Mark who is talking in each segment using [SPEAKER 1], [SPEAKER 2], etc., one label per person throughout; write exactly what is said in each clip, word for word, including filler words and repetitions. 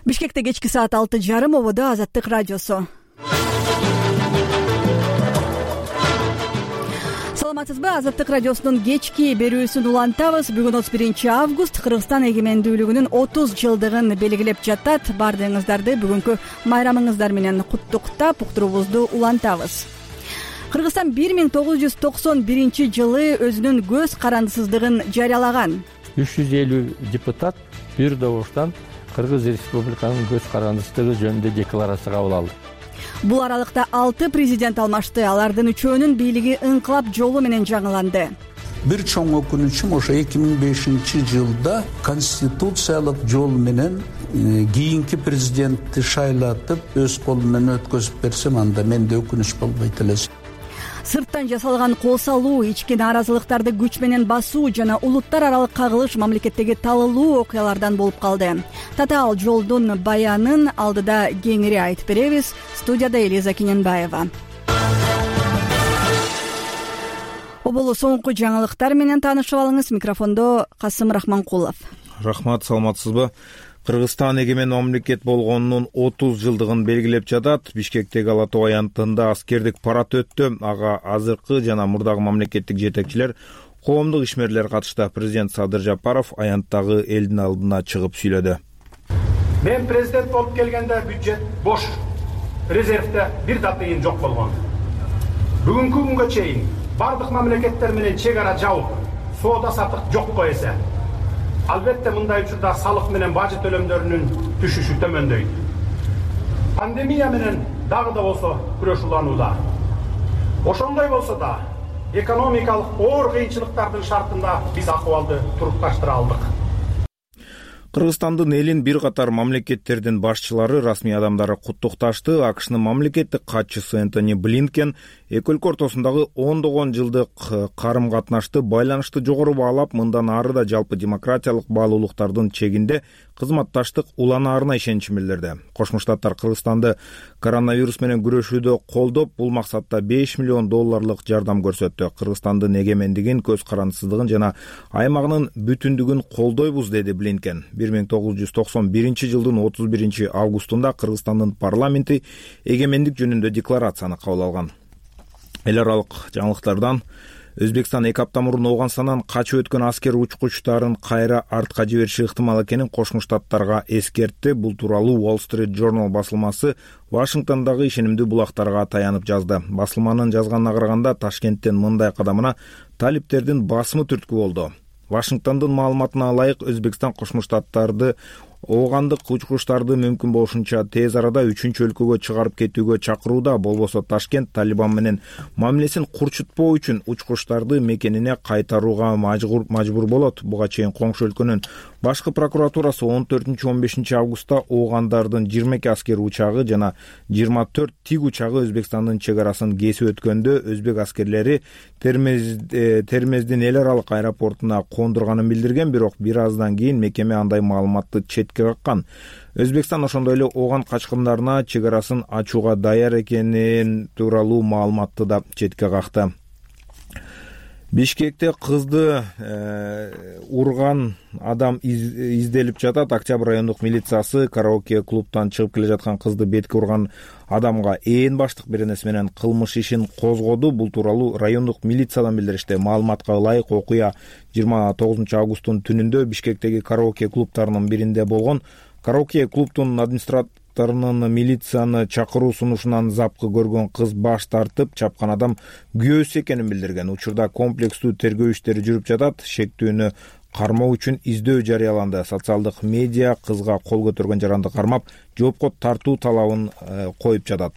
[SPEAKER 1] Бишкекте кечки саат алты жарым, ободо Азаттык радиосу. Саламатсызбы? Азаттык радиосунун кечки берүүсүн улантабыз. Бүгүн отуз биринчи август, Кыргызстан эгемендүүлүгүнүн отуз жылдыгын белгилеп жатат. Баардыгыңыздарды бүгүнкү майрамыңыздар менен куттуктап, уктуруубузду улантабыз. Кыргызстан бир миң тогуз жүз токсон биринчи жылы өзүнүн көз карандысыздыгын жарыялаган.
[SPEAKER 2] үч жүз элүү депутат бир добуштан Кыргыз Республиканын көз карандысыздыгы жөнүндө декларация кабыл алды.
[SPEAKER 1] Бул аралыкта алты президент алмашты. Алардын үчөөнүн бийлиги ыңкылап жолу менен жаңыланды.
[SPEAKER 3] Бир чоң өкүнүчүм ошо эки миң бешинчи жылда конституциялык жол менен кийинки президентти шайлатып, өз колу менен өткөзүп берсем, анда менде өкүнүч болбойт эле.
[SPEAKER 1] Сырттан жасалган кол салуу, ички нааразылыктарды күч менен басуу жана улуттар аралык кагылыш мамлекеттеги талылуу окуялардан болуп калды. Татаал жолдун баянын алдыда кеңири айтып беребиз. Студияда Элиза Кененбаева. Оболу соңку жаңылыктар менен таанышып алыңыз. Микрофондо Касым Рахманкулов.
[SPEAKER 4] Рахмат, саламатсызбы? Кыргызстан эгемен мамлекет болгонунун отуз жылдыгын белгилеп жатат. Бишкектеги Ала Тоо аянтында аскердик парад өттү. Ага азыркы жана мурдагы мамлекеттик жетекчилер, коомдук ишмерлер катышты. Президент Садыр Жапаров аянттагы элдин алдына чыгып сүйлөдү.
[SPEAKER 5] Мен президент болуп келгенде бюджет бош, резервде бир да тыйын жок болгон. Бүгүнкү күнгө чейин бардык мамлекеттер менен чек ара жабып, соода саттык жокко эсе. Албетте мындай учурда салык менен бажы төлөмдөрүнүн түшүшү төмөндөйт. Пандемия менен дагы да болсо күрөш уланууда. Ошондой болсо да экономикалык оор кыйынчылыктардын шартында биз акыбалды турукташтыра алдык.
[SPEAKER 4] Кыргызстандын элин бир катар мамлекеттердин башчылары, расмий адамдары куттукташты. АКШнын мамлекеттик катчысы Энтони Блинкен эки өлкө ортосундагы ондогон жылдык карым-катнашты, байланышты жогору баалап, мындан ары да жалпы демократиялык баалуулуктардын чегинде кызматташтык уланаарына ишеничин билдирди. Кошмо Штаттар Кыргызстанды коронавирус менен күрөшүүдө колдоп, бул максатта беш миллион долларлык жардам көрсөттү. Кыргызстандын эгемендигин, көз карандысыздыгын жана аймагынын бүтүндүгүн колдойбуз, деди Блинкен. бир миң тогуз жүз токсон биринчи жылдын отуз биринчи августунда Кыргызстандын парламенти эгемендик жөнүндө декларацияны кабыл алган. Эл аралык жаңылыктардан Өзбекстан эки апта мурун Ооганстандан качып өткөн аскер учкучтарын кайра артка жибериши ыктымал экенин Кошмо Штаттарга эскертти. Бул тууралуу Wall Street Journal басылмасы Вашингтондагы ишенимдүү булактарга таянып жазды. Басылманын жазганына караганда, Ташкенттин мындай кадамына талиптердин басымы түрткү болду. Вашингтондун маалыматына ылайык, Өзбекстан Кошмо Штаттарды оогандык учкучтарды мүмкүн болушунча тез арада үчүнчү өлкөгө чыгарып кетүүгө чакырууда. Болбосо Ташкент Талибан менен мамилесин курчутпоо үчүн учкучтарды мекенине кайтарууга мажбур мажбур болот. Буга чейин коңшу өлкөнүн башкы прокуратурасы он төртүнчү он бешинчи августта оогандардын жыйырма эки аскер учагы жана жыйырма төрт тиг учагы Өзбекстандын чек арасын кесип өткөндө өзбек аскерлери Термез Термездин эл аралык аэропортуна кондурганын билдирген, бирок бир аздан кийин мекеме андай маалыматты четке каккан. Өзбекстан ошондой эле ооган качкындарына чек арасын ачууга даяр экенин тууралуу маалыматты да четке какты. Бишкекте кызды э, урган адам из, изделип жатат. Октябрь райондук милициясы караоке клубтан чыгып келе жаткан кызды бетке урган адамга ээн баштык беренеси менен кылмыш ишин козгоду. Бул тууралуу райондук милициядан билдиришти. Маалыматка ылайык, окуя жыйырма тогузунчу августтун түнүндө Бишкектеги караоке клубтарынын биринде болгон. Караоке клубтун администраторунун милицияны чакыруу сунушунан запкы көргөн кыз баш тартып, чапкан адам күйөөсү экенин билдирген. Учурда комплекстүү тергөө иштери жүрүп жатат. Шектүүнү кармоо үчүн издөө жарыяланды. Социалдык медиа кызга кол көтөргөн жаранды кармап, жоопко тартуу талабын э, коюп жатат.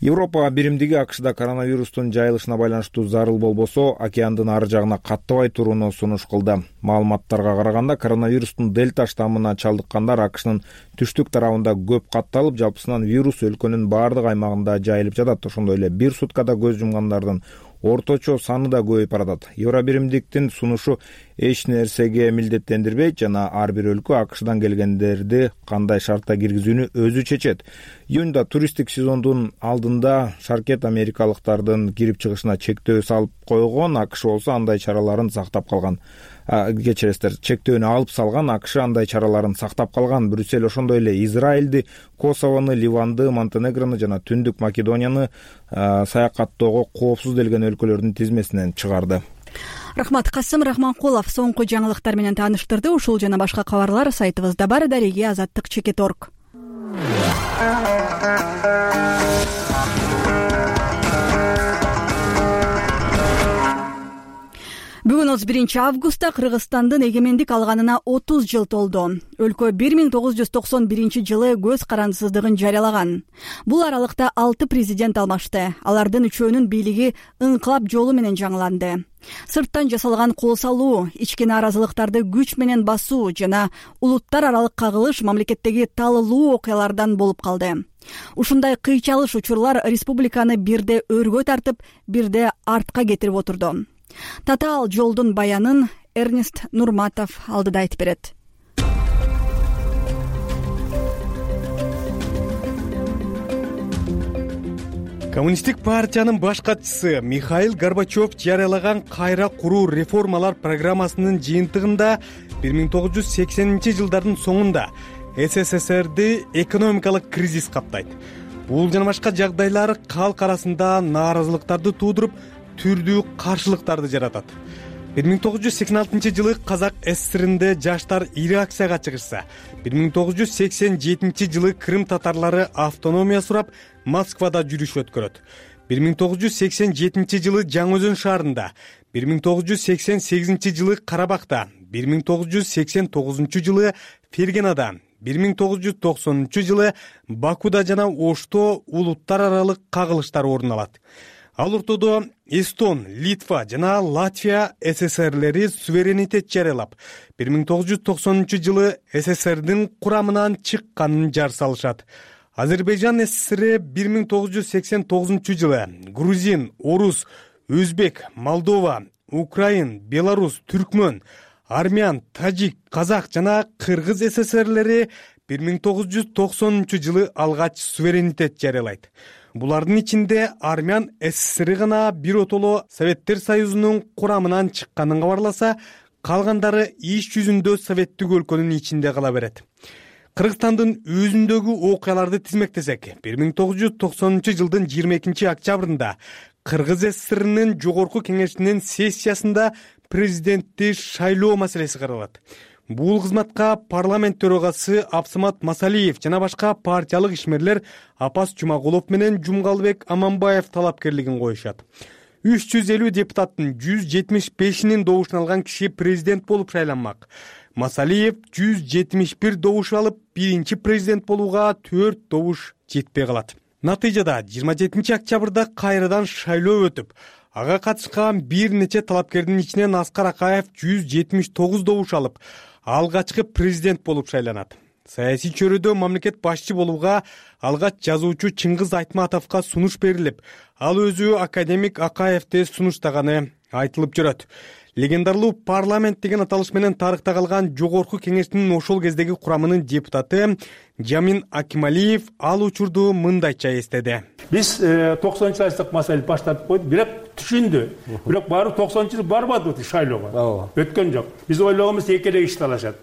[SPEAKER 4] Европа биримдиги АКШда коронавирустун жайылышына байланыштуу зарыл болбосо, океандын ары жагына каттабай турууну сунуш кылды. Маалыматтарга караганда, коронавирустун дельта штаммына чалдыккандар АКШнын түштүк тарабында көп катталып, жалпысынан вирус өлкөнүн баардык аймагында жайылып жатат. Ошондой эле бир суткада көз жумгандардын орточо саны да көбөйүп баратат. Евробиримдиктин сунушу эч нерсеге милдеттендирбейт жана ар бир өлкө АКШдан келгендерди кандай шартта киргизүүнү өзү чечет. Июнда туристтик сезондун алдында шаркет америкалыктардын кирип чыгышына чектөө салып койгон, АКШ болсо андай чараларын сактап калган. Кечиресиздер, чектөөнү алып салган, АКШ андай чараларын сактап калган. Брюссель ошондой эле Израилди, Косовону, Ливанды, Монтенегрону жана Түндүк Македонияны саякаттоого коопсуз делген өлкөлөрдүн тизмесинен чыгарды.
[SPEAKER 1] Рахмат. Касым Рахманкулов соңку жаңылыктар менен тааныштырды. Ушул жана башка кабарлар сайтыбызда бар. Дареги азаттык чекит точка орг. Бүгүн отуз биринчи августта Кыргызстандын эгемендик алганына отуз жыл толду. Өлкө бир миң тогуз жүз токсон биринчи жылы көз карандысыздыгын жарыялаган. Бул аралыкта алты президент алмашты. Алардын үчөөнүн бийлиги ыңкылап жолу менен жаңыланды. Сырттан жасалган кол салуу, ички нааразылыктарды күч менен басуу жана улуттар аралык кагылыш мамлекеттеги талылуу окуялардан болуп калды. Ушундай кыйчалыш учурлар республиканы бирде өргө тартып, бирде артка кетирип отурду. Татаал жолдун баянын Эрнест Нурматов алдыда айтып берет.
[SPEAKER 6] Коммунисттик партиянын баш катчысы Михаил Горбачев жарыялаган кайра куруу реформалар программасынын жыйынтыгында бир миң тогуз жүз сексенинчи жылдардын соңунда СССРди экономикалык кризис каптайт. Бул жана башка жагдайлар калк арасында нааразылыктарды туудуруп, түрдүү каршылыктарды жаратат. бир миң тогуз жүз сексен алтынчы жылы Казак СССРинде жаштар ири акцияга чыгышса, бир миң тогуз жүз сексен жетинчи жылы Крым татарлары автономия сурап Москвада жүрүш өткөрөт. бир миң тогуз жүз сексен жетинчи жылы Жаңы Өзөн шаарында, бир миң тогуз жүз сексен сегизинчи жылы Карабакта, бир миң тогуз жүз сексен тогузунчу жылы Фергенада, бир миң тогуз жүз токсонунчу жылы Бакуда жана Ошто улуттар аралык кагылыштар орун алат. Ал ортодо Эстон, Литва жана Латвия СССРлери суверенитет жарыялап, бир миң тогуз жүз токсонунчу жылы СССРдин курамынан чыкканын жар салышат. Азербайжан СССР бир миң тогуз жүз сексен тогузунчу жылы грузин, орус, өзбек, молдова, украин, белорус, түркмөн, армян, тажик, казак жана кыргыз СССРлери бир миң тогуз жүз токсонунчу жылы алгач суверенитет жарыялайт. Булардын ичинде армян СССР гана бир отоло Советтер Союзунун курамынан чыкканын кабарласа, калгандары иш жүзүндө советтик өлкөнүн ичинде кала берет. Кыргызстандын өзүндөгү окуяларды тизмектесек, бир миң тогуз жүз токсонунчу жылдын жыйырма экинчи октябрында Кыргыз СССРинин жогорку кеңешинин сессиясында президентти шайлоо маселеси каралат. Бул кызматка парламент төрагасы Абсамат Масалиев жана башка партиялык ишмерлер Апас Жумагулов менен Жумгалбек Аманбаев талапкерлигин коюшат. үч жүз элүү депутаттын жүз жетимиш бешинин добушун алган киши президент болуп шайланмак. Масалиев жүз жетимиш бир добуш алып, биринчи президент болууга төрт добуш жетпей калат. Натыйжада жыйырма жетинчи октябрда кайрадан шайлоо өтүп, ага катышкан бир нече талапкердин ичинен Аскар Акаев жүз жетимиш тогуз добуш алып, алгачкы президент болуп шайланат. Саясий чөйрөдө мамлекет башчы болууга алгач жазуучу Чыңгыз Айтматовго сунуш берилип, ал өзү академик Акаевди сунуштаганы айтылып жүрөт. Легендарлуу парламент деген аталыш менен тарыхта калган жогорку кеңештин ошол кездеги курамынын депутаты Жамин Акималиев ал учурду мындайча эстеди.
[SPEAKER 7] Биз токсонунчу жылдык маселени баштап койдук, бирок түшүндү. Бирок баары токсонунчу жылы барбады шайлоого. Өткөн жок. Биз ойлогонбуз экелек иш талашат.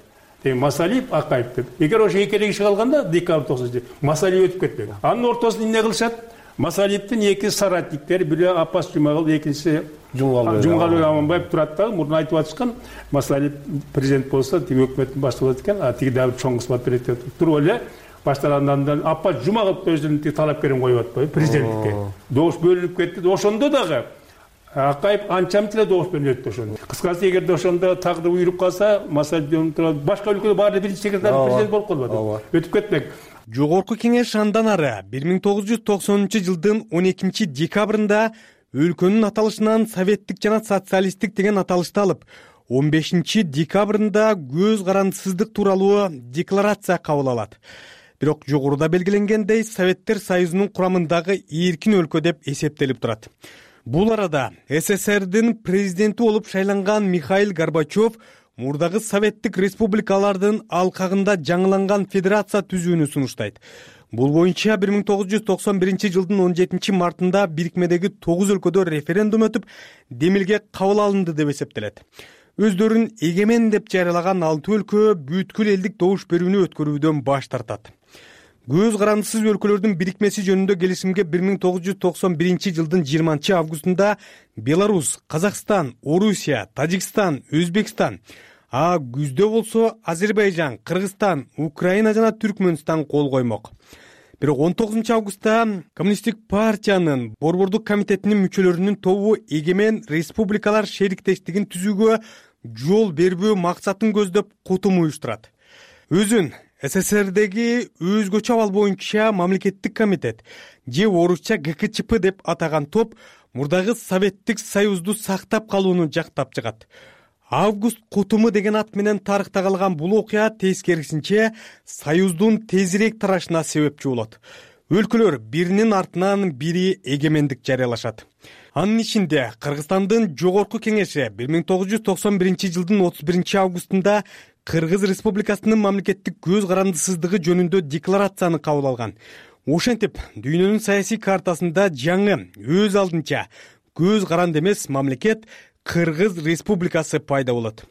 [SPEAKER 7] Масалиев, Акаев деп. Эгер ошо экелек иши калганда декабрь токсонунчу Масалиев өтүп кетпек. Анын ортосунда эмне кылышат? Масалиевдин эки соратниктери, бири Апас Жумагул, экинчиси Жумгалбек Аманбаев турат да, мурун айтып атышкан, Масалиев президент болсо, тиги өкмөттүн башы болот экен, а тиги дагы чоң кызмат берет деп туруп эле баштагандан Апас Жумагул өзүнүн талапкерин коюп атпайбы президенттикке. Добуш бөлүнүп кетти. Ошондо дагы Акаев анча эле добуш менен өттү ошондо. Кыскасы, эгерде ошондо тагдыр уюруп калса, Масалиев башка өлкөдө баары биринчи секретарь президент болуп калбады. Өтүп кетмек.
[SPEAKER 6] Жогорку кеңеш андан ары бир миң тогуз жүз токсонунчу жылдын он экинчи декабрында өлкөнүн аталышынан советтик жана социалисттик деген аталышты алып, он бешинчи декабрында көз карандысыздык тууралуу декларация кабыл алат. Бирок жогоруда белгиленгендей Советтер Союзунун курамындагы эркин өлкө деп эсептелип турат. Бул арада СССРдин президенти болуп шайланган Михаил Горбачев мурдагы советтик республикалардын алкагында жаңыланган федерация түзүүнү сунуштайт. Бул боюнча бир миң тогуз жүз токсон биринчи жылдын он жетинчи мартында бирикмедеги тогуз өлкөдө референдум өтүп, демилге кабыл алынды деп эсептелет. Өздөрүн эгемен деп жарыялаган алты өлкө бүткүл элдик добуш берүүнү өткөрүүдөн баш тартат. Көз карандысыз өлкөлөрдүн бирикмеси жөнүндө келишимге бир миң тогуз жүз токсон биринчи жылдын жыйырманчы августунда Беларусь, Казакстан, Орусия, Тажикстан, Өзбекстан, а күздө болсо Азербайжан, Кыргызстан, Украина жана Түркмөнстан кол коймок. Бирок он тогузунчу августта Коммунисттик партиянын борбордук комитетинин мүчөлөрүнүн тобу эгемен республикалар шериктештигин түзүүгө жол бербөө максатын көздөп кутум уюштурат. Өзүн СССРдеги өзгөчө абал боюнча мамлекеттик комитет же орусча Г К Ч П деп атаган топ мурдагы Советтик Союзду сактап калууну жактап чыгат. Август кутуму деген ат менен тарыхта калган бул окуя тескерисинче Союздун тезирээк тарашына себепчи болот. Өлкөлөр биринин артынан бири эгемендик жарыялашат. Анын ичинде Кыргызстандын жогорку кеңеши бир миң тогуз жүз токсон биринчи жылдын отуз биринчи августунда Кыргыз Республикасынын мамлекеттик көз карандысыздыгы жөнүндө декларацияны кабыл алган. Ошентип, дүйнөнүн саясий картасында жаңы, өз алдынча көз каранды эмес мамлекет Кыргыз Республикасы пайда болот.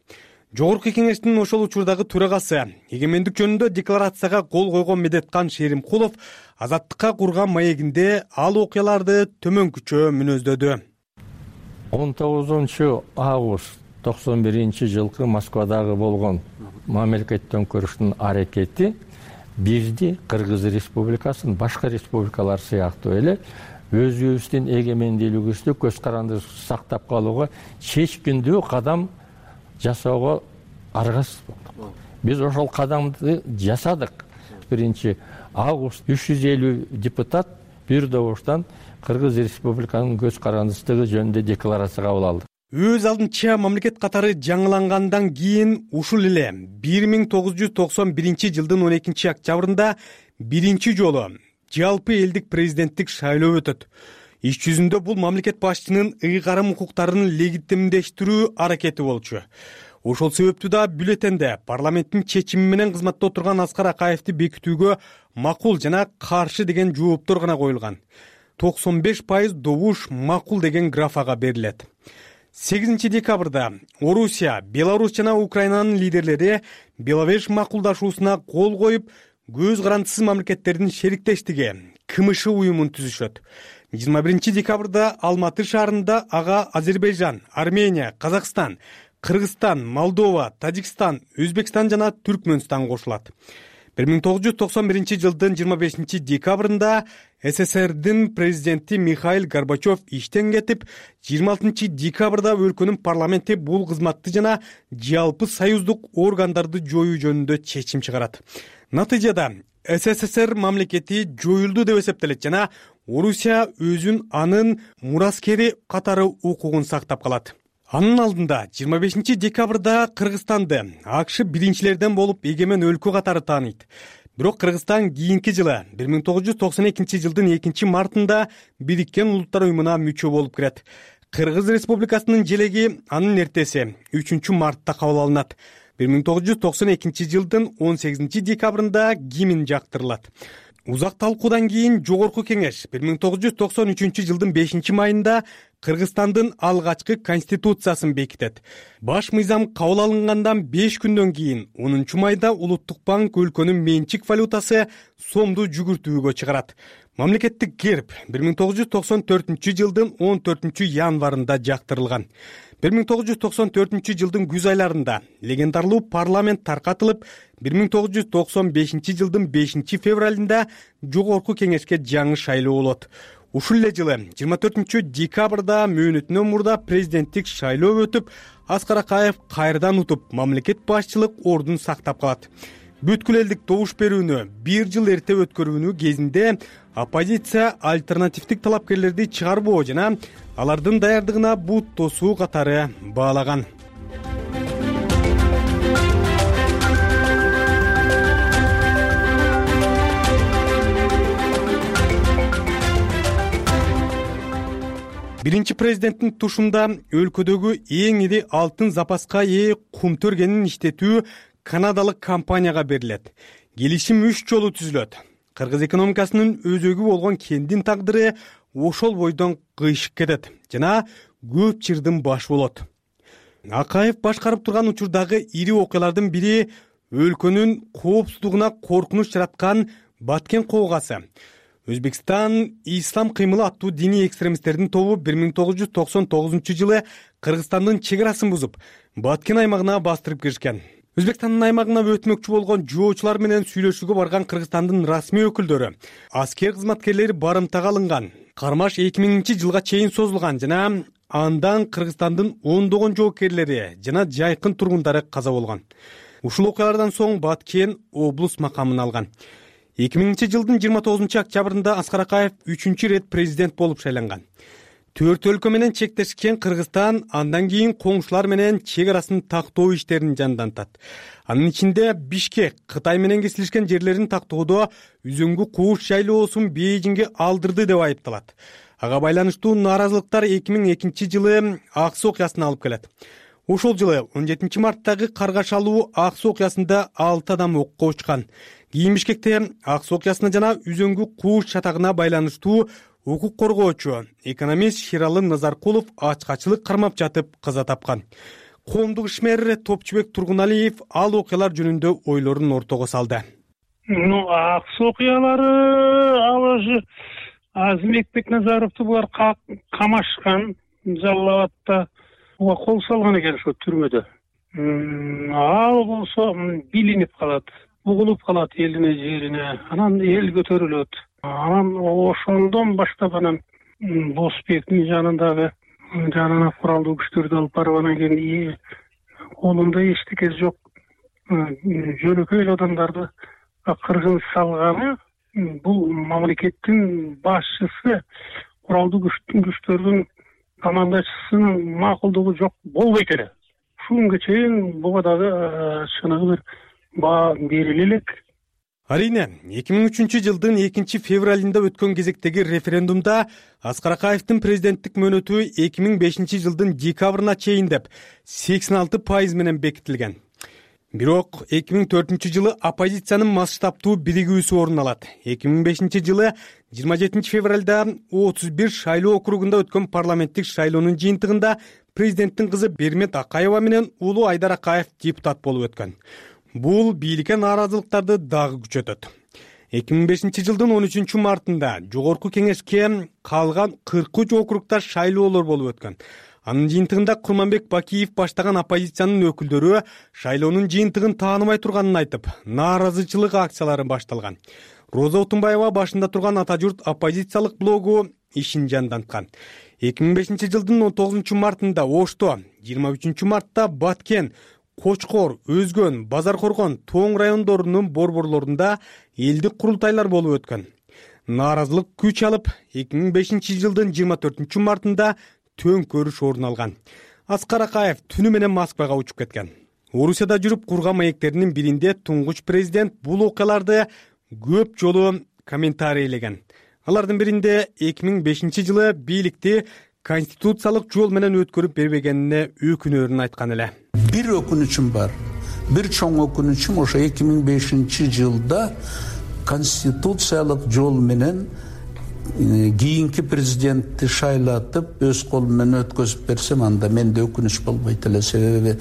[SPEAKER 6] Жогорку кеңештин ошол учурдагы төрагасы, эгемендик жөнүндө декларацияга кол койгон Медеткан Шеримкулов азаттыкка курган маегинде ал окуяларды төмөнкүчө мүнөздөдү.
[SPEAKER 2] он тогузунчу август токсон биринчи жылкы Москвадагы болгон мамлекет төңкөрүштүн аракети бизди Кыргыз Республикасын башка республикалар сыяктуу эле өзүбүздүн эгемендүүлүгүбүздү көз карандысыз сактап калууга чечкиндүү кадам жасоого аргасыз болдук. Биз ошол кадамды жасадык. биринчи август үч жүз элүү депутат бир добуштан Кыргыз Республиканын көз карандысыздыгы жөнүндө декларация кабыл алды.
[SPEAKER 6] Өз алдынча мамлекет катары жаңылангандан кийин ушул эле бир миң тогуз жүз токсон биринчи жылдын он экинчи октябрында биринчи жолу жалпы элдик президенттик шайлоо өтөт. Иш жүзүндө бул мамлекет башчынын ыйгарым укуктарын легитимдештирүү аракети болчу. Ошол себептүү да бюллетенде парламенттин чечими менен кызматта отурган Аскар Акаевди бекитүүгө макул жана каршы деген жооптор гана коюлган. токсон беш пайыз добуш макул деген графага берилет. сегизинчи декабрда Орусия, Беларусь жана Украинанын лидерлери Беловеж макулдашуусуна кол коюп, көз карандысыз мамлекеттердин шериктештиги К М Ш уюмун түзүшөт. жыйырма биринчи декабрда Алматы шаарында ага Азербайжан, Армения, Казакстан, Кыргызстан, Молдова, Тажикстан, Өзбекстан жана Түркмөнстан кошулат. бир миң тогуз жүз токсон биринчи жылдын жыйырма бешинчи декабрында СССРдин президенти Михаил Горбачев иштен кетип, жыйырма алтынчы декабрда өлкөнүн парламенти бул кызматты жана жалпы союздук органдарды жоюу жөнүндө чечим чыгарат. Натыйжада СССР мамлекети жоюлду деп эсептелет жана Орусия өзүн анын мураскери катары укугун сактап калат. Анын алдында жыйырма бешинчи декабрда Кыргызстанды АКШ биринчилерден болуп эгемен өлкө катары тааныйт. Бирок Кыргызстан кийинки жылы бир миң тогуз жүз токсон экинчи жылдын экинчи мартында Бириккен Улуттар уюмуна мүчө болуп кирет. Кыргыз Республикасынын желеги анын эртеси үчүнчү мартта кабыл алынат. бир миң тогуз жүз токсон экинчи жылдын он сегизинчи декабрында гимн жактырылат. Узак талкуудан кийин жогорку кеңеш бир миң тогуз жүз токсон үчүнчү жылдын бешинчи майында Кыргызстандын алгачкы конституциясын бекитет. Баш мыйзам кабыл алынгандан беш күндөн кийин онунчу майда Улуттук банк өлкөнүн менчик валютасы сомду жүгүртүүгө чыгарат. Мамлекеттик герб бир миң тогуз жүз токсон төртүнчү жылдын он төртүнчү январында жактырылган. бир миң тогуз жүз токсон төртүнчү жылдын күз айларында легендарлуу парламент таркатылып, бир миң тогуз жүз токсон бешинчи жылдын бешинчи февралында жогорку кеңешке жаңы шайлоо болот. Ушул эле жылы жыйырма төртүнчү декабрда мөөнөтүнөн мурда президенттик шайлоо өтүп, Аскар Акаев кайрадан утуп, мамлекет башчылык ордун сактап калат. Бүткүл элдик добуш берүүнү бир жыл эрте өткөрүүнү кезинде оппозиция альтернативдик талапкерлерди чыгарбоо жана алардын даярдыгына бут тосуу катары баалаган. биринчи президенттин тушунда өлкөдөгү эң ири алтын запаска ээ кум төргенин иштетүү канадалык компанияга берилет. Келишим үч жолу түзүлөт. Кыргыз экономикасынын өзөгү болгон кендин тагдыры ошол бойдон кыйшык кетет жана көп чырдын башы болот. Акаев башкарып турган учурдагы ири окуялардын бири өлкөнүн коопсуздугуна коркунуч жараткан Баткен коогасы. Өзбекстан Ислам кыймылы аттуу диний экстремисттердин тобу бир миң тогуз жүз токсон тогузунчу жылы Кыргызстандын чек арасын бузуп, Баткен аймагына бастырып киришкен. Өзбекстандын аймагына өтмөкчү болгон жоочулар менен сүйлөшүүгө барган Кыргызстандын расмий өкүлдөрү аскер кызматкерлери барымтага алынган. Кармаш эки миңинчи жылга чейин созулган жана андан Кыргызстандын ондогон жоокерлери жана жайкын тургундары каза болгон. Ушул окуялардан соң Баткен облус макамын алган. эки миңинчи жылдын жыйырма тогузунчу октябрында Аскар Акаев үчүнчү рет президент болуп шайланган. Төрт өлкө менен чектешкен Кыргызстан андан кийин коңшулар менен чек арасын тактоо иштерин жандантат. Анын ичинде Бишкек Кытай менен кесилишкен жерлерин тактоодо Үзөңгү кууш шайлоосун Бейжиңге алдырды деп айыпталат. Ага байланыштуу нааразылыктар эки миң экинчи жылы Ак Суу окуясына алып келет. Ошол жылы он жетинчи марттагы каргашалуу Ак Суу окуясында алты адам окко учкан. Кийин Бишкекте Ак Суу окуясына жана Үзөңгү кууш чатагына байланыштуу укук коргоочу экономист Ширалы Назаркулов ачкачылык кармап жатып каза тапкан. Коомдук ишмер Топчубек Тургуналиев ал окуялар жөнүндө ойлорун ортого салды.
[SPEAKER 8] Ну, Ак Суу окуялары ал же Азимбек Бекназаровду булар камашкан, Жалал-Абадта кол салган экен ошо түрмөдө. Ал болсо билинип калат, угулуп калат элине жерине, анан эл көтөрүлөт. Анан ошондон баштап анан Босбектин жанындагы жанына куралдуу күчтөрдү алып барып анан кийин колунда эчтеке жок жөнөкөй эле адамдарды кыргын салганы бул мамлекеттин башчысы, куралдуу күчтөрдүн командачысынын макулдугу жок болбойт эле. Ушул күнгө чейин буга дагы чыныгы бир баа бериле элек.
[SPEAKER 6] Арийне, эки миң үчүнчү жылдын экинчи февралында өткөн кезектеги референдумда Аскар Акаевдин президенттик мөөнөтү эки миң бешинчи жылдын декабрына чейин деп сексен алты пайыз менен бекитилген. Бирок эки миң төртүнчү жылы оппозициянын масштабтуу биригүүсү орун алат. эки миң бешинчи жылы жыйырма жетинчи февралда отуз бир шайлоо округунда өткөн парламенттик шайлоонун жыйынтыгында президенттин кызы Бермет Акаева менен уулу Айдар Акаев депутат болуп өткөн. Бул бийликке нааразылыктарды дагы күчөтөт. эки миң бешинчи жылдын он үчүнчү мартында жогорку кеңешке калган кырк үч округда шайлоолор болуп өткөн. Анын жыйынтыгында Курманбек Бакиев баштаган оппозициянын өкүлдөрү шайлоонун жыйынтыгын тааныбай турганын айтып, нааразычылык акциялары башталган. Роза Отунбаева башында турган Ата журт оппозициялык блогу ишин жанданткан. эки миң бешинчи жылдын он тогузунчу мартында Ошто, жыйырма үчүнчү мартта Баткен, Кочкор, Өзгөн, Базар Коргон, Тоң райондорунун борборлорунда элдик курултайлар болуп өткөн. Нааразылык күч алып, эки миң бешинчи жылдын жыйырма төртүнчү мартында төңкөрүш орун алган. Аскар Акаев түнү менен Москвага учуп кеткен. Орусияда жүрүп курган маектеринин биринде туңгуч президент бул окуяларды көп жолу комментарийлеген. Алардын биринде эки миң бешинчи жылы бийликти конституциялык жол менен өткөрүп бербегенине өкүнөрүн айткан эле.
[SPEAKER 3] Бир өкүнүчүм бар. Бир чоң өкүнүчүм ошо эки миң бешинчи жылда конституциялык жол менен кийинки президентти шайлатып өз колу менен өткөзүп берсем, анда менде өкүнүч болбойт эле. Себеби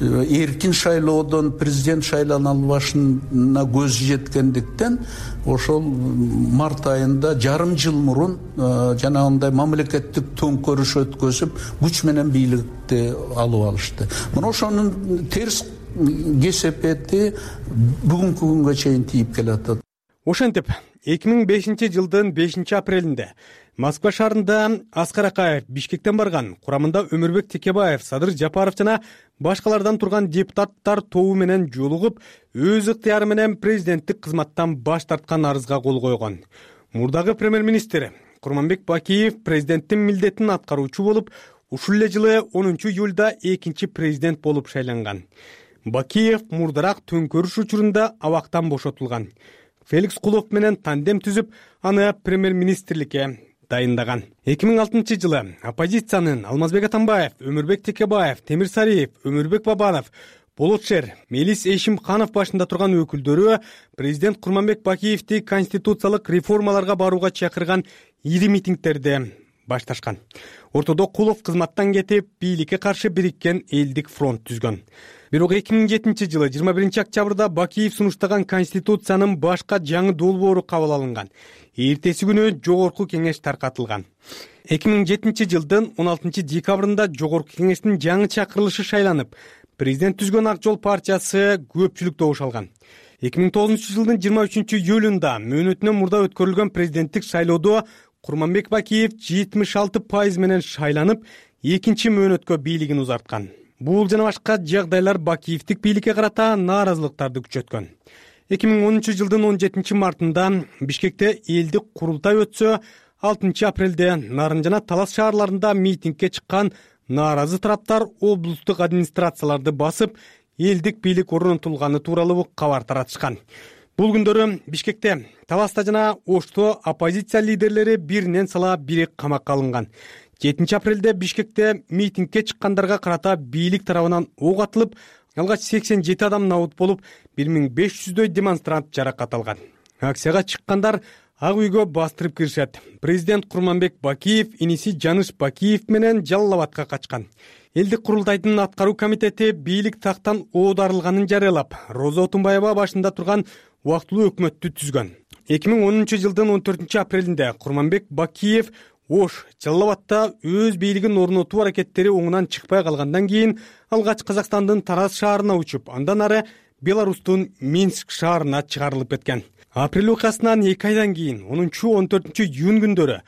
[SPEAKER 3] эркин шайлоодон президент шайлана албашына көз жеткендиктен ошол март айында жарым жыл мурун жанагындай мамлекеттик төңкөрүш өткөзүп күч менен бийликти алып алышты. Мына ошонун терс кесепети бүгүнкү күнгө чейин тийип келатат.
[SPEAKER 6] Ошентип, эки миң бешинчи жылдын бешинчи апрелинде Москва шаарында Аскар Акаев Бишкектен барган. Курамында Өмүрбек Текебаев, Садыр Жапаров жана башкалардан турган депутаттар тобу менен жолугуп, өз ыктыяры менен президенттик кызматтан баш тарткан арызга кол койгон. Мурдагы премьер-министр Курманбек Бакиев президенттин милдетин аткаруучу болуп, ушул эле жылы онунчу июлда экинчи президент болуп шайланган. Бакиев мурдарак төңкөрүш учурунда абактан бошотулган. Феликс Кулов менен тандем түзүп, аны премьер-министрликке, дайындаган. эки миң алтынчы жылы оппозициянын Алмазбек Атамбаев, Өмүрбек Текебаев, Темир Сариев, Өмүрбек Бабанов, Болотшер, Мелис Эшимканов башында турган өкүлдөрү президент Курманбек Бакиевди конституциялык реформаларга барууга чакырган ири митингдерди башташкан. Ортодо Кулов кызматтан кетип, бийликке каршы бириккен элдик фронт түзгөн. Бирок эки миң жетинчи жылы жыйырма биринчи октябрда Бакиев сунуштаган конституциянын башка жаңы долбоору кабыл алынган. Эртеси күнү жогорку кеңеш таркатылган. эки миң жетинчи жылдын он алтынчы декабрында жогорку кеңештин жаңы чакырылышы шайланып, президент түзгөн Ак Жол партиясы көпчүлүк добуш алган. эки миң тогузунчу жылдын жыйырма үчүнчү июлунда мөөнөтүнөн мурда өткөрүлгөн президенттик шайлоодо Курманбек Бакиев жетимиш алты пайыз менен шайланып, экинчи мөөнөткө бийлигин узарткан. Бул жана башка жагдайлар Бакиевдик бийликке карата нааразылыктарды күчөткөн. эки миң онунчу жылдын он жетинчи мартында Бишкекте элдик курултай өтсө, алтынчы апрелде Нарын жана Талас шаарларында митингге чыккан нааразы тараптар облустук администрацияларды басып, элдик бийлик орнотулганы тууралуу кабар таратышкан. Бул күндөрү Бишкекте, Таласта жана Ошто оппозиция лидерлери биринен сала бири камакка алынган. жетинчи апрелде Бишкекте митингге чыккандарга карата бийлик тарабынан ок атылып, алгач сексен жети адам набут болуп, бир миң беш жүздөй демонстрант жаракат алган. Акцияга чыккандар Ак үйгө бастырып киришет. Президент Курманбек Бакиев иниси Жаныш Бакиев менен Жалал Абадка качкан. Элдик курултайдын аткаруу комитети бийлик тактан оодарылганын жарыялап, Роза Отунбаева башында турган убактылуу өкмөттү түзгөн. эки миң онунчу жылдын он төртүнчү апрелинде Курманбек Бакиев Ош, Жалал Абадта өз бийлигин орнотуу аракеттери оңунан чыкпай калгандан кийин алгач Казакстандын Тараз шаарына учуп, андан ары Беларустун Минск шаарына чыгарылып кеткен. Апрель окуясынан эки айдан кийин онунчу он төртүнчү июнь күндөрү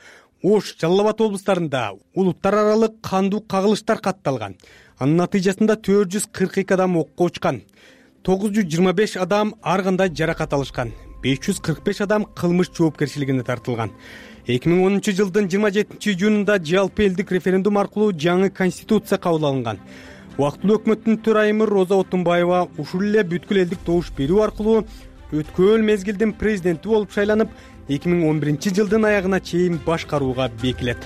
[SPEAKER 6] Ош, Жалал Абад облустарында улуттар аралык кандуу кагылыштар катталган. Анын натыйжасында төрт жүз кырк эки адам окко учкан. тогуз жүз жыйырма беш адам ар кандай жаракат алышкан. беш жүз кырк беш адам кылмыш жоопкерчилигине тартылган. эки миң онунчу жылдын жыйырма жетинчи июнунда жалпы элдик референдум аркылуу жаңы конституция кабыл алынган. Убактылуу өкмөттүн төрайымы Роза Отунбаева ушул эле бүткүл элдик добуш берүү аркылуу өткөн мезгилдин президенти болуп шайланып, эки миң он биринчи жылдын аягына чейин башкарууга бекилет.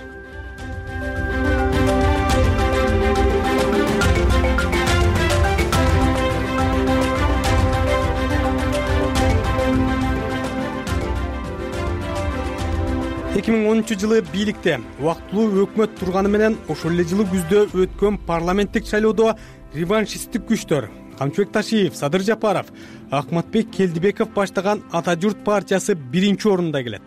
[SPEAKER 6] эки миң онунчу жылы бийликте убактылуу өкмөт турганы менен ошол эле жылы күздө өткөн парламенттик шайлоодо реваншисттик күчтөр Камчыбек Ташиев, Садыр Жапаров, Акматбек Келдибеков баштаган Ата журт партиясы биринчи орунда келет.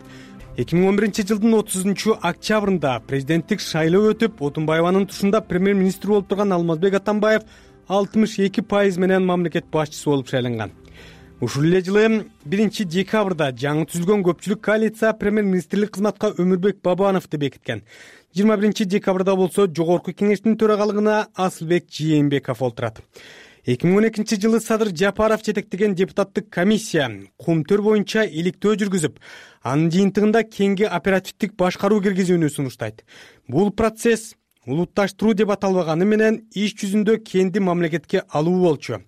[SPEAKER 6] эки миң он биринчи жылдын отузунчу октябрында президенттик шайлоо өтүп, Отунбаеванын тушунда премьер-министр болуп турган Алмазбек Атамбаев алтымыш эки пайыз менен мамлекет башчысы болуп шайланган. Ушул эле жылы биринчи декабрда жаңы түзүлгөн көпчүлүк коалиция премьер-министрлик кызматка Өмүрбек Бабановду бекиткен. жыйырма биринчи декабрда болсо жогорку кеңештин төрагалыгына Асылбек Жээнбеков олтурат. эки миң он экинчи жылы Садыр Жапаров жетектеген депутаттык комиссия Кумтөр боюнча иликтөө жүргүзүп, анын жыйынтыгында кеңги оперативдик башкаруу киргизүүнү сунуштайт. Бул процесс улутташтыруу деп аталбаганы менен иш жүзүндө кенди мамлекетке алуу болчу.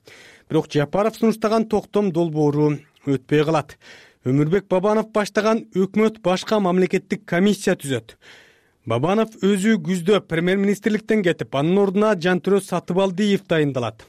[SPEAKER 6] Бирок Жапаров сунуштаган токтом долбоору өтпөй калат. Өмүрбек Бабанов баштаган өкмөт башка мамлекеттик комиссия түзөт. Бабанов өзү күздө премьер-министрликтен кетип, анын ордуна Жантөрө Сатыбалдиев дайындалат.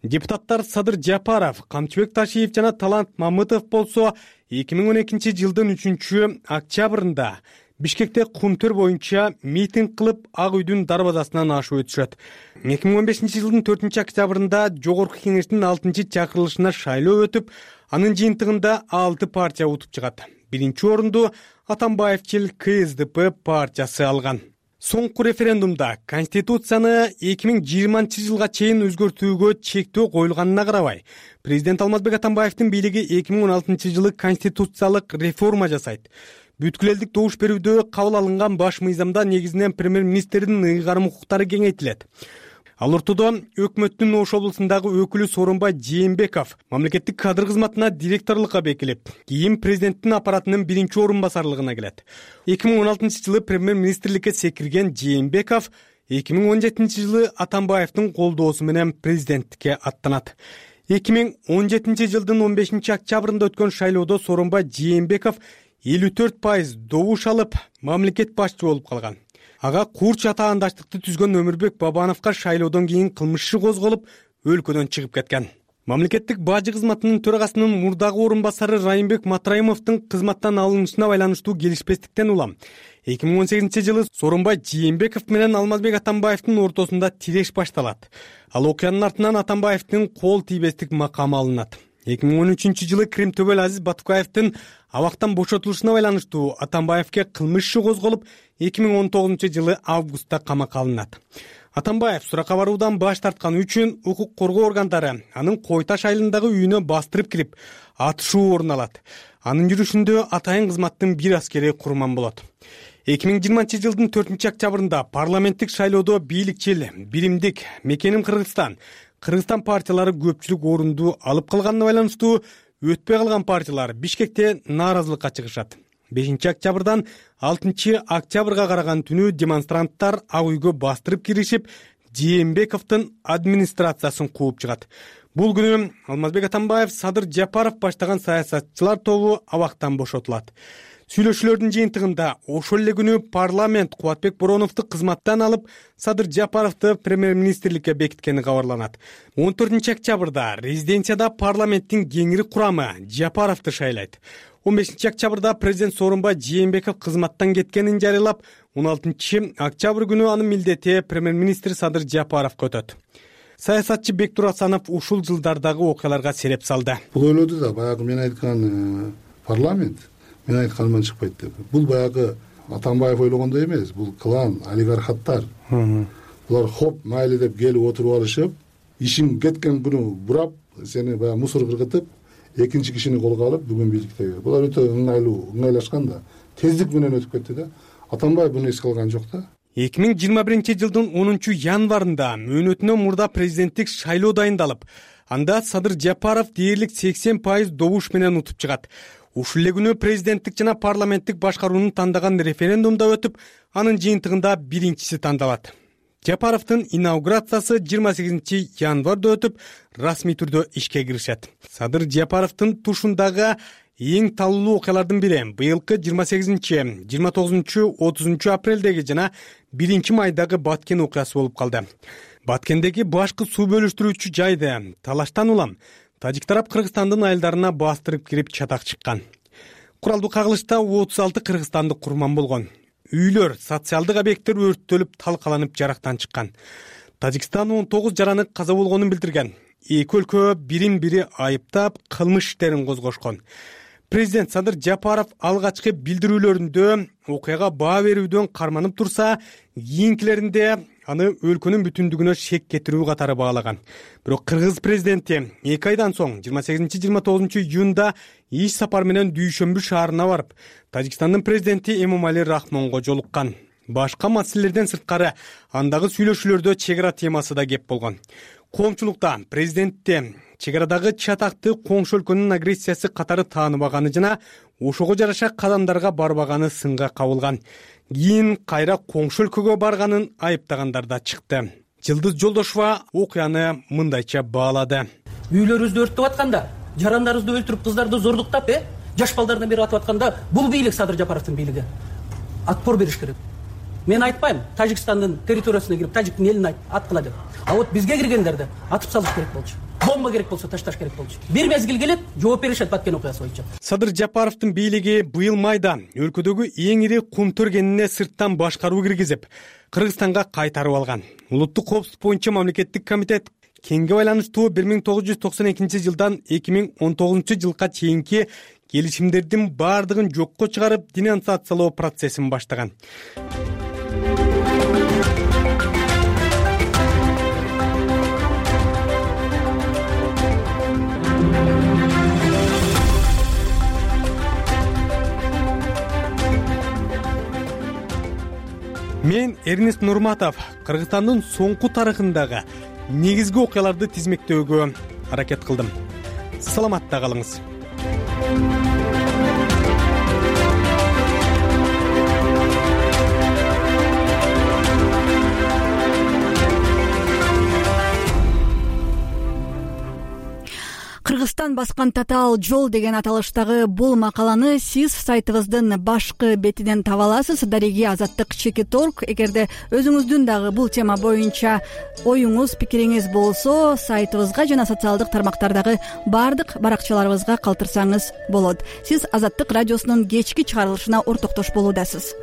[SPEAKER 6] Депутаттар Садыр Жапаров, Камчыбек Ташиев жана Талант Мамытов болсо эки миң он экинчи жылдын үчүнчү октябрында Бишкекте Кумтөр боюнча митинг кылып, Ак үйдүн дарбазасынан ашып өтүшөт. эки миң он бешинчи жылдын төртүнчү октябрында жогорку кеңештин алтынчы чакырылышына шайлоо өтүп, анын жыйынтыгында алты партия утуп чыгат. Биринчи орунду Атамбаевчил Ка Эс Д П партиясы алган. Соңку референдумда Конституцияны эки миң жыйырманчы жылга чейин өзгөртүүгө чектөө коюлганына карабай, президент Алмазбек Атамбаевдин бийлиги эки миң он алтынчы жылы конституциялык реформа жасайт. Бүткүл элдик добуш берүүдө кабыл алынган баш мыйзамда негизинен премьер-министрдин ыйгарым укуктары кеңейтилет. Ал ортодо өкмөттүн Ош облусундагы өкүлү Сооронбай Жээнбеков мамлекеттик кадр кызматына директорлукка бекилип, кийин президенттин аппаратынын биринчи орун басарлыгына келет. эки миң он алтынчы жылы премьер-министрликке секирген Жээнбеков эки миң он жетинчи жылы Атамбаевдин колдоосу менен президенттикке аттанат. эки миң он жетинчи жылдын он бешинчи октябрында өткөн шайлоодо Сооронбай Жээнбеков элүү төрт пайыз добуш алып мамлекет башчы болуп калган. Ага курч атаандаштыкты түзгөн Өмүрбек Бабановго шайлоодон кийин кылмыш иши козголуп, өлкөдөн чыгып кеткен. Мамлекеттик бажы кызматынын төрагасынын мурдагы орун басары Райымбек Матраимовдун кызматтан алынышына байланыштуу келишпестиктен улам эки миң он сегизинчи жылы Сооронбай Жээнбеков менен Алмазбек Атамбаевдин ортосунда тиреш башталат. Ал окуянын артынан Атамбаевдин кол тийбестик макамы алынат. эки миң он үчүнчү жылы Крим Төбөл Азиз Батукаевдин абактан бошотулушуна байланыштуу Атамбаевге кылмыш иши козголуп, эки миң он тогузунчу жылы августта камакка алынат. Атамбаев суракка баруудан баш тартканы үчүн укук коргоо органдары анын Кой Таш айылындагы үйүнө бастырып кирип, атышуу орун алат. Анын жүрүшүндө атайын кызматтын бир аскери курман болот. эки миң жыйырманчы жылдын төртүнчү октябрында парламенттик шайлоодо бийликчил, биримдик, Мекеним Кыргызстан, Кыргызстан партиялары көпчүлүк орунду алып калганына байланыштуу өтпөй калган партиялар Бишкекте нааразылыкка чыгышат. бешинчи октябрдан алтынчы октябрга караган түнү демонстранттар ак үйгө бастырып киришип, Жээнбековдун администрациясын кууп чыгат. Бул күнү Алмазбек Атамбаев, Садыр Жапаров баштаган саясатчылар тобу абактан бошотулат. Сүйлөшүүлөрдүн жыйынтыгында ошол эле күнү парламент Кубатбек Бороновду кызматтан алып, Садыр Жапаровду премьер-министрликке бекиткени кабарланат. он төртүнчү октябрда резиденцияда парламенттин кеңири курамы Жапаровду шайлайт. он бешинчи октябрда президент Сооронбай Жээнбеков кызматтан кеткенин жарыялап, он алтынчы октябрь күнү анын милдети премьер-министр Садыр Жапаровго өтөт. Саясатчы Бектур Асанов ушул жылдардагы окуяларга сереп салды.
[SPEAKER 9] Бул ойлоду да, баягы мен айткан парламент мен айтканыман чыкпайт деп. Бул баягы Атамбаев ойлогондой эмес, бул клан, олигархаттар. Булар хоп, майлы деп келип отуруп алышып, ишин кеткен күнү бурап, сени баягы мусор кыргытып, экинчи кишини колго алып бүгүн бийликте. Булар өтө ыңгайлуу, ыңгайлашкан да, тездик менен өтүп кетти да. Атамбаев буну эске алган жок да.
[SPEAKER 6] эки миң жыйырма биринчи жылдын онунчу январында мөөнөтүнөн мурда президенттик шайлоо дайындалып, анда Садыр Жапаров дээрлик сексен пайыз добуш менен утуп чыгат. Ушул эле күнү президенттик жана парламенттик башкарууну тандаган референдумда өтүп, анын жыйынтыгында биринчиси тандалат. Жапаровдун инаугурациясы жыйырма сегизинчи январда өтүп, расмий түрдө ишке киришет. Садыр Жапаровдун тушундагы эң талуу окуялардын бири быйылкы жыйырма сегизинчи, жыйырма тогузунчу, отузунчу апрелдеги жана биринчи майдагы Баткен окуясы болуп калды. Баткендеги башкы суу бөлүштүрүүчү жайды талаштан улам тажик тарап Кыргызстандын айылдарына бастырып кирип чатак чыккан. Куралдуу кагылышта отуз алты кыргызстандык курман болгон. Үйлөр, социалдык объекттер өрттөлүп, талкаланып жарактан чыккан. Тажикстан он тогуз жараны каза болгонун билдирген. Эки өлкө бирин-бири айыптап, кылмыш иштерин козгошкон. Президент Садыр Жапаров алгачкы билдирүүлөрүндө окуяга баа берүүдөн карманып турса, кийинкилеринде аны өлкөнүн бүтүндүгүнө шек кетирүү катары баалаган. Бирок кыргыз президенти эки айдан соң жыйырма сегизинчи жыйырма тогузунчу июнда иш сапар менен Дүйшөмбү шаарына барып, Тажикстандын президенти Эмомали Рахмонго жолуккан. Башка маселелерден сырткары андагы сүйлөшүүлөрдө чек ара темасы да кеп болгон. Коомчулукта президентте чек арадагы чатакты коңшу өлкөнүн агрессиясы катары тааныбаганы жана ошого жараша кадамдарга барбаганы сынга кабылган. Кийин кайра коңшу өлкөгө барганын айыптагандар да чыкты. Жылдыз Жолдошова окуяны мындайча баалады.
[SPEAKER 10] Үйлөрүбүздү өрттөп атканда, жарандарыбызды өлтүрүп, кыздарды зордуктап, э, жаш балдардан бери атып атканда, бул бийлик Садыр Жапаровдун бийлиги. Отпор бериш керек. Мен айтпайм, Тажикстандын территориясына кирип, тажиктин элин аткыла деп. А вот бизге киргендерди атып салыш керек болчу. Бомба керек болсо ташташ керек болчу. Бир мезгил келет, жооп беришет Баткен окуясы боюнча.
[SPEAKER 6] Садыр Жапаровдун бийлиги быйыл майда өлкөдөгү эң ири кум төргенине сырттан башкаруу киргизип, Кыргызстанга кайтарып алган. Улуттук коопсуздук боюнча мамлекеттик комитет кеңге байланыштуу бир миң тогуз жүз токсон экинчи жылдан эки миң он тогузунчу жылга чейинки келишимдердин баардыгын жокко чыгарып, денонсациялоо процессин баштаган. Мен Эрнест Нурматов Кыргызстандын соңку тарыхындагы негизги окуяларды тизмектөөгө аракет кылдым. Саламатта калыңыз.
[SPEAKER 1] Кыргызстан баскан татаал жол деген аталыштагы бул макаланы сиз сайтыбыздын башкы бетинен таба аласыз. Дареги Азаттык чекит точка орг. Эгерде өзүңүздүн дагы бул тема боюнча оюңуз, пикириңиз болсо, сайтыбызга жана социалдык тармактардагы баардык баракчаларыбызга калтырсаңыз болот. Сиз Азаттык радиосунун кечки чыгарылышына ортоктош болуудасыз.